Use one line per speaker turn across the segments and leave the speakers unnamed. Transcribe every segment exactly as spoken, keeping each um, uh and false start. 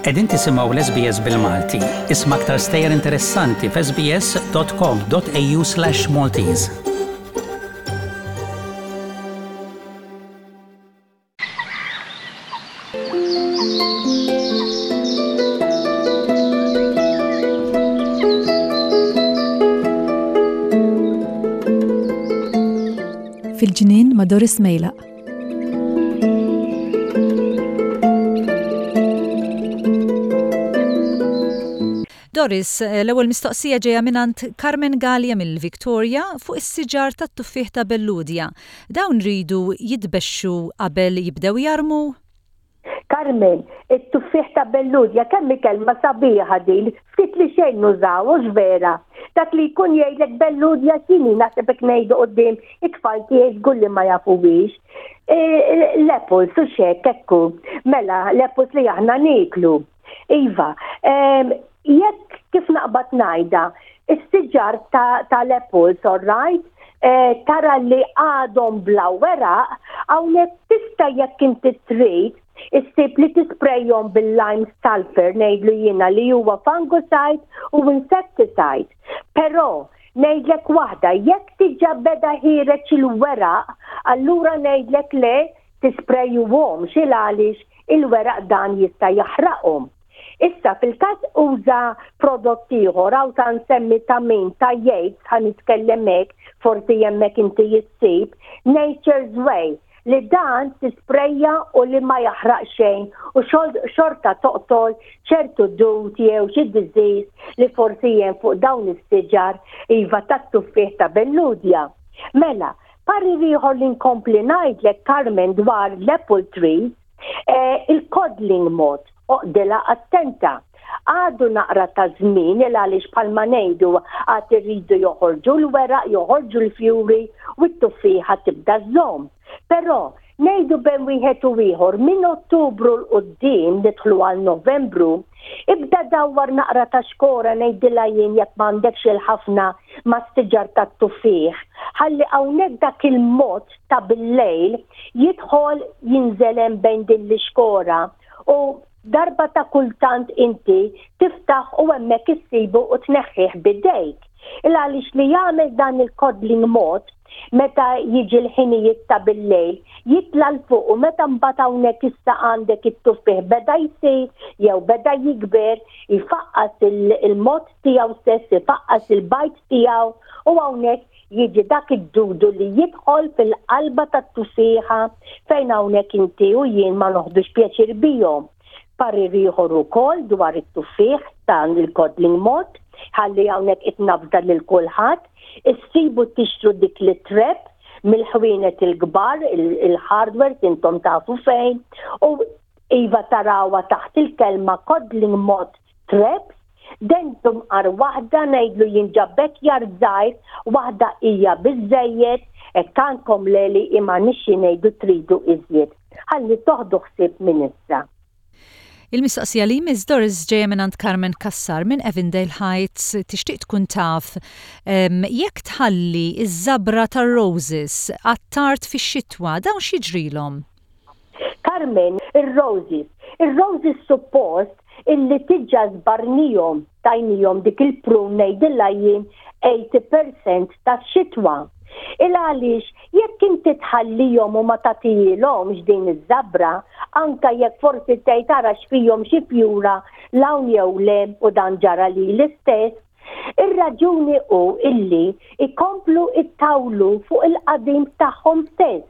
Qegħdin tisimgħu l-S B S bil-Malti. Isma' aktar stejjer interessanti f'S B S dot com dot A U slash Maltese.
Fil-Ġnien ma' Doris Mejlaq.
Doris, eh, l-ewwel mistoqsija ġejja mingħand Carmen Gallia mill-Victoria fuq is-siġar tat-tuffieħ ta' Belludja. Dawn ridu jitbexxu qabel jibdew jarmu?
Carmen, it-tuffieħ ta' Belludja, kemm kelma sabiħa din, ftit li xejn nużaw, hux vera? Dak li jkun jgħidlek Belludja x'inhi, naħseb hekk ngħidu quddiem it-tfal tiegħi żgur li ma jafuhiex. E, l-apples, u xek, ekku, mela, l-apples li aħna niklu. Iva, jekk kif naqbad ngħidha, is-siġar tal-apples, all right, e, tara li għadhom bla weraq, hawnhekk tista', jekk inti trid, issib li tisprejjom bil-lime sulfur, ngħidlu jiena, li huwa fungicide u insecticide. Però ngħidlek waħda, jekk diġà beda ħiereġ il-weraq, allura ngħidlek le tisprejjuhom xil għaliex il-weraq dan jista' jaħraqhom. Issa fil-każ uża prodott ieħor, hawn ta' nsemmi ta' min ta' Yates, ħa nitkellem hekk, forsi hemmhekk inti issib Nature's Way, li dan tisprejja u li ma jaħraq xejn u xorta toqtol ċertu dud jew xi disease li forsi hemm fuq dawn is-siġar, iva, tat-tuffieħ ta' Belludja. Mela, parir ieħor li nkompli ngħidlek, Carmen, dwar l-apple trees, eh, il-codling moth, oqdilha attenta. Għadu naqra ta' żmien, il għaliex bħalma ngħidu għad irridu joħorġu l-weraq, joħorġu l-fjuri u t-tuffieħa tibda żomm. Però ngħidu bejn wieħed u ieħor minn Ottubru 'l quddiem nidħlu għal Novembru, ibda dawwar naqra ta' xkora, ngħidilha jien, jekk m'għandekx il-ħafna mas-siġar tat-tuffieħ. Ħalli hawnhekk dak il-moth ta' bil-lejl jidħol jinżel hemm bejn din l-ixkora u darba ta' kultant inti tiftaħ u hemmhekk issibu u tneħħih bidejk. Il għaliex li jagħmel dan il-codling moth, meta jiġi l-ħinijiet ta' bil-lejl, jitla 'l fuq u meta mbagħad hawnhekk issa għandek it-tuffieħ beda jsir jew beda jikber, ifaqqas il-moth tiegħu stess, ifaqqas il-bajd tiegħu u hawnhekk jiġi dak id-dudu li jidħol fil-qalba tat-tuffieħa fejn hawnhekk inti u jien ma noħdux pjaċir bihom. Parir ieħor ukoll dwar it-tuffieħ dan il-codling moth, ħalli hawnhekk itnafda lil kulħadd, issibu tixtru dik li trap mill-ħwienet il-kbar, il-hardware, intom tafu fejn, u iva tarawha taħt il-kelma codling moth traps, dentum għar waħda, ngħidlu jinġabbek jar żgħir, waħda hija biżejjed, hekk għandkom leli imma nixxi ngħidu tridu iżjed. Ħalli toħdu ħsieb minn issa.
Il-mistoqsija li Miss Doris ġejja minn Carmen Kassar minn Avondale Heights, tixtieq tkun taf jekk tħalli iż-żabra tar-roses għat-tard fix-xitwa, dawn x'jiġrilhom?
Carmen, ir-roses. Ir-roses suppost illi diġà żbarnihom, tajnihom dik il-prune, ngħidilha jien, tmenin fil-mija tax-xitwa. Il għaliex jekk inti tħallihom u ma tagħtihomx din iż-żabra, anka jekk forsi tgħid tara x'fihom xi fjura l-hawn jew le, u dan ġara li l-istess, ir-raġuni hu illi ikomplu ittawlu fuq il-qadim tagħhom stess.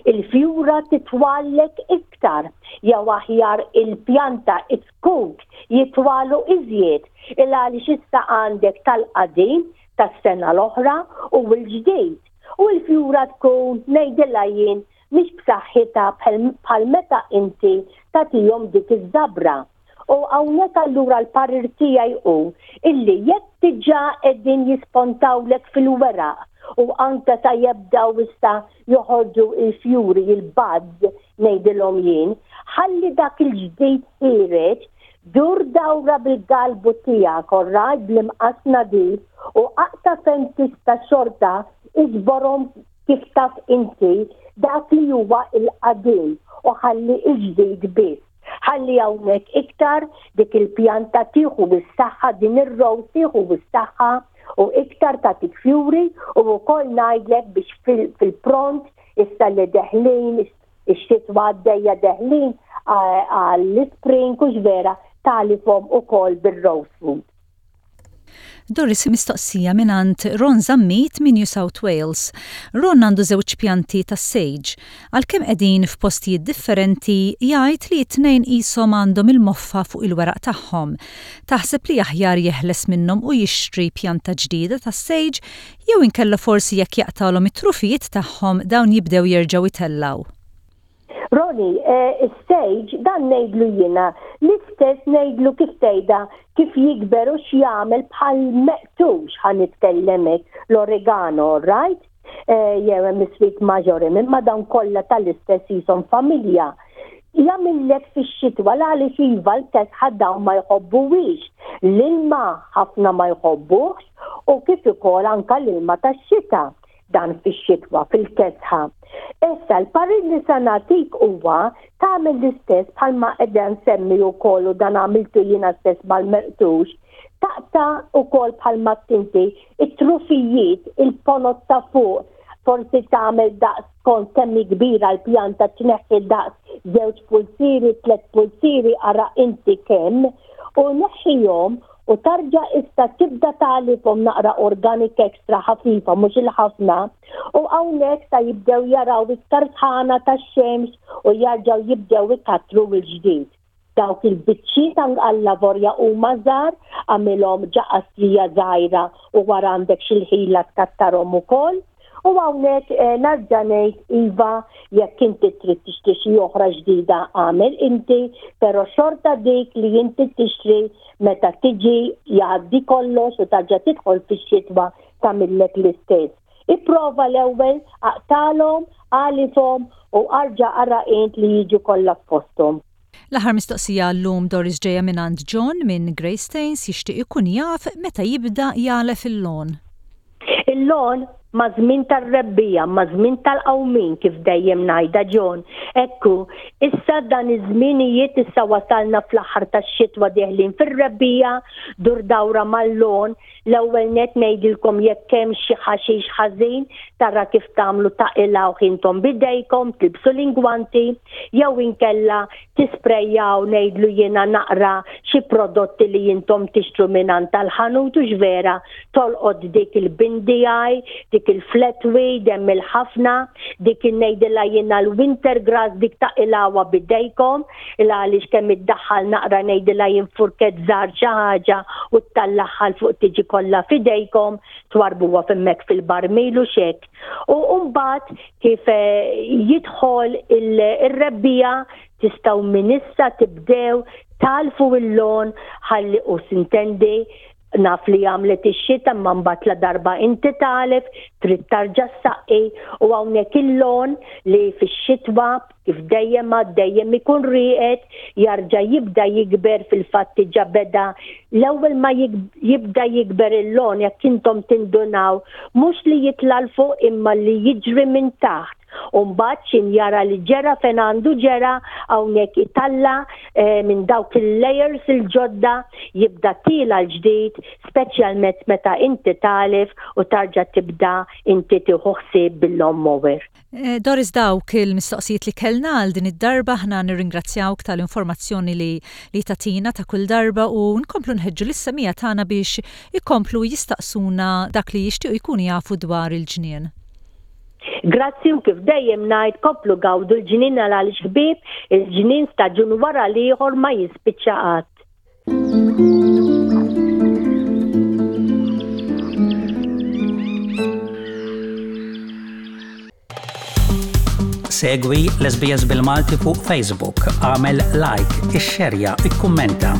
Il-fjura titwallek iktar, jew aħjar il-pjanta, it-zkuk jitwalu iżjed, il għaliex issa għandek tal-qadim tas-sena l-oħra u l-ġdid. U l-fjura tkun, ngħidilha jien, mhix b'saħħitha bħal meta inti tagħtihom dik iż-żabra. U hawnhekk allura l-parir tiegħi hu illi jekk diġà qegħdin jispontawlek fil-weraq u anke ta' jibdew issa joħorġu il-fjuri, il-buds ngħidilhom jien, ħalli dak il-ġdid ħiereġ, dur dawra bil-galbu tiegħek, orrajt, bl-imqas nadif u aqta' fejn tista', xorta iġborhom kif taf inti dak li huwa il-qadim u ħalli il-ġdid biss. Ħalli hawnhekk iktar iktar dik il-pjanta tieħu bis-saħħa, din ir-rose tieħu bis-saħħa u iktar tagħtik fjuri. U wkoll ngħidlek biex fil-pront issa li deħlin ix-xitwa għaddejja, deħlin għall-spring, hux vera, tagħlifhom ukoll bil-rose food.
Doris, mistoqsija mingħand Ron Zammit minn New South Wales. Ron għandu żewġ pjanti ta' sage. Għalkemm qegħdin f'postijiet differenti, jgħid li t-tnejn qishom għandhom il-moffa fuq il-weraq tagħhom. Taħseb li aħjar jeħles minnhom u jixtri pjanta ġdida ta' sage, jew inkella forsi jekk jaqtalhom it-trufijiet tagħhom dawn jibdew jerġgħu jtellaw?
Roni, eh, sage dan ngħidlu jiena, l-istess ngħidlu kif tgħidha kif jikber u x'jagħmel bħal meqtux, ħa nitkellem hekk, l-oregano, right? Eh, jew hemm sweet marjoram, imma dawn kollha tal-istess jisom familja. Jagħmillek fix-xitwa għaliex iva l-kesħa dawn ma jħobbuwix. L-ilma ħafna ma jħobbuhx u kif ukoll anka l-ilma tax-xita dan fix-xitwa fil-kesħa. Issa l-parir li sa nagħtik huwa tagħmel l-istess bħalma qiegħda nsemmi wkoll u dan għamiltu jiena stess mal-merqtux. Taqta' ukoll bħalma tinti it-trufijiet, il-ponot ta' fuq, forsi tagħmel daqs kont kemm kbira l-pjanta, tneħħi daqs żewġ pulsiri, tliet pulsiri, ara inti kemm, u neħħihom u tarġa issa tibda tagħlifhom naqra organic extra ħafifa, mhux il-ħafna, u hawnhekk sa jibdew jaraw iktar sħana tax-xemx u jarġgħu jibdew ikatru l-ġdid. Dawk il-biċċiet għall-lavorja huma żgħar, għamilhom ġo qastrija żgħira u wara għandek xi ħila tkattarhom ukoll. U hawnhekk eh, nerġa' ngħid iva, jekk inti trid tixtri xi oħra ġdida għamel inti, però xorta dik li inti tixtri meta tiġi jgħaddi kollox u tarġa' tidħol fix-xitwa tagħmillek l-istess. Ipprova l-ewwel aqtalhom, għalifhom u arġa' ara int li jiġu kollha f'posthom.
L-aħħar mistoqsija llum, Doris, ġejja minn John minn Greystanes, jixtieq ikun jaf meta jibda jagħlef il-lawn.
Il-lawn ma' żmien tar-rebbiegħa, ma' żmien tal-qawmin, kif dejjem ngħidha, John. Ekku, issa dan iż-żminijiet, issa wasalna fl-aħħar tax-xitwa, deħlin fir-rebbiegħa, dur dawra mal-lawn, l-ewwel net ngħidilkom jekk hemm xi ħaxix ħażin, tara kif tagħmlu, taqilgħu intom bidejkom, tilbsu l-ingwanti, jew inkella tisprejjaw, ngħidlu jiena, naqra xi prodotti li intom tixtru minn tal-ħanut, hux vera, tolqod dik il-bindijaj, dik il-flatweed, hemm il-ħafna, dik ngħidilha jiena l-winter grass, dik taqilgħuha bidejkom, il għaliex kemm iddaħħal naqra, ngħidilha jien, furket żgħar xi ħaġa u ttellagħha 'l fuq tiġi kollha fidejkom, twarbuha hemmhekk fil-barmil u xek. U mbagħad kif eh, jidħol il-rebbiegħa tistgħu minn issa tibdew tagħlfu il-lawn ħalli u sintendi naf li għamlet ix-xita, ma mbagħad la darba inti tagħlef trid tarġa' ssaqqi. U hawnhekk il-lawn li fix-xitwa kif dejjem ma dejjem ikun rieqed jarġa' jibda jikber, fil-fatt diġà beda. L-ewwel ma jibda jikber il-lawn, jekk intom tindunaw, mhux li jitla' 'l fuq imma li jiġri minn taħt. U mbagħad xin jara li ġera fejn għandu ġera, hawnhekk italla eh, minn dawk il-layers il-ġodda, jibda tiela' l-ġdid, speċjalment meta inti tagħlef u tarġa' tibda inti tieħu ħsieb bil-lawn mower.
Eh, Doris, dawk il-mistoqsijiet li kellna għal din id-darba. Ħna nirringrazzjawk tal-informazzjoni li, li tagħtina ta' kull darba u nkomplu nħeġġu lis-semmiegħa tagħna biex ikomplu jistaqsuna dak li jixtiequ jkunu jafu dwar il-ġnien.
Grazzi, u kif dejjem ngħid, komplu gawdu l-ġnien għaliex, ħbieb, il-ġnien staġun wara l-ieħor ma jispiċċa qatt.
Segwi l-S B S bil-Malti fuq Facebook, għamel like, ixxerja, ikkummenta.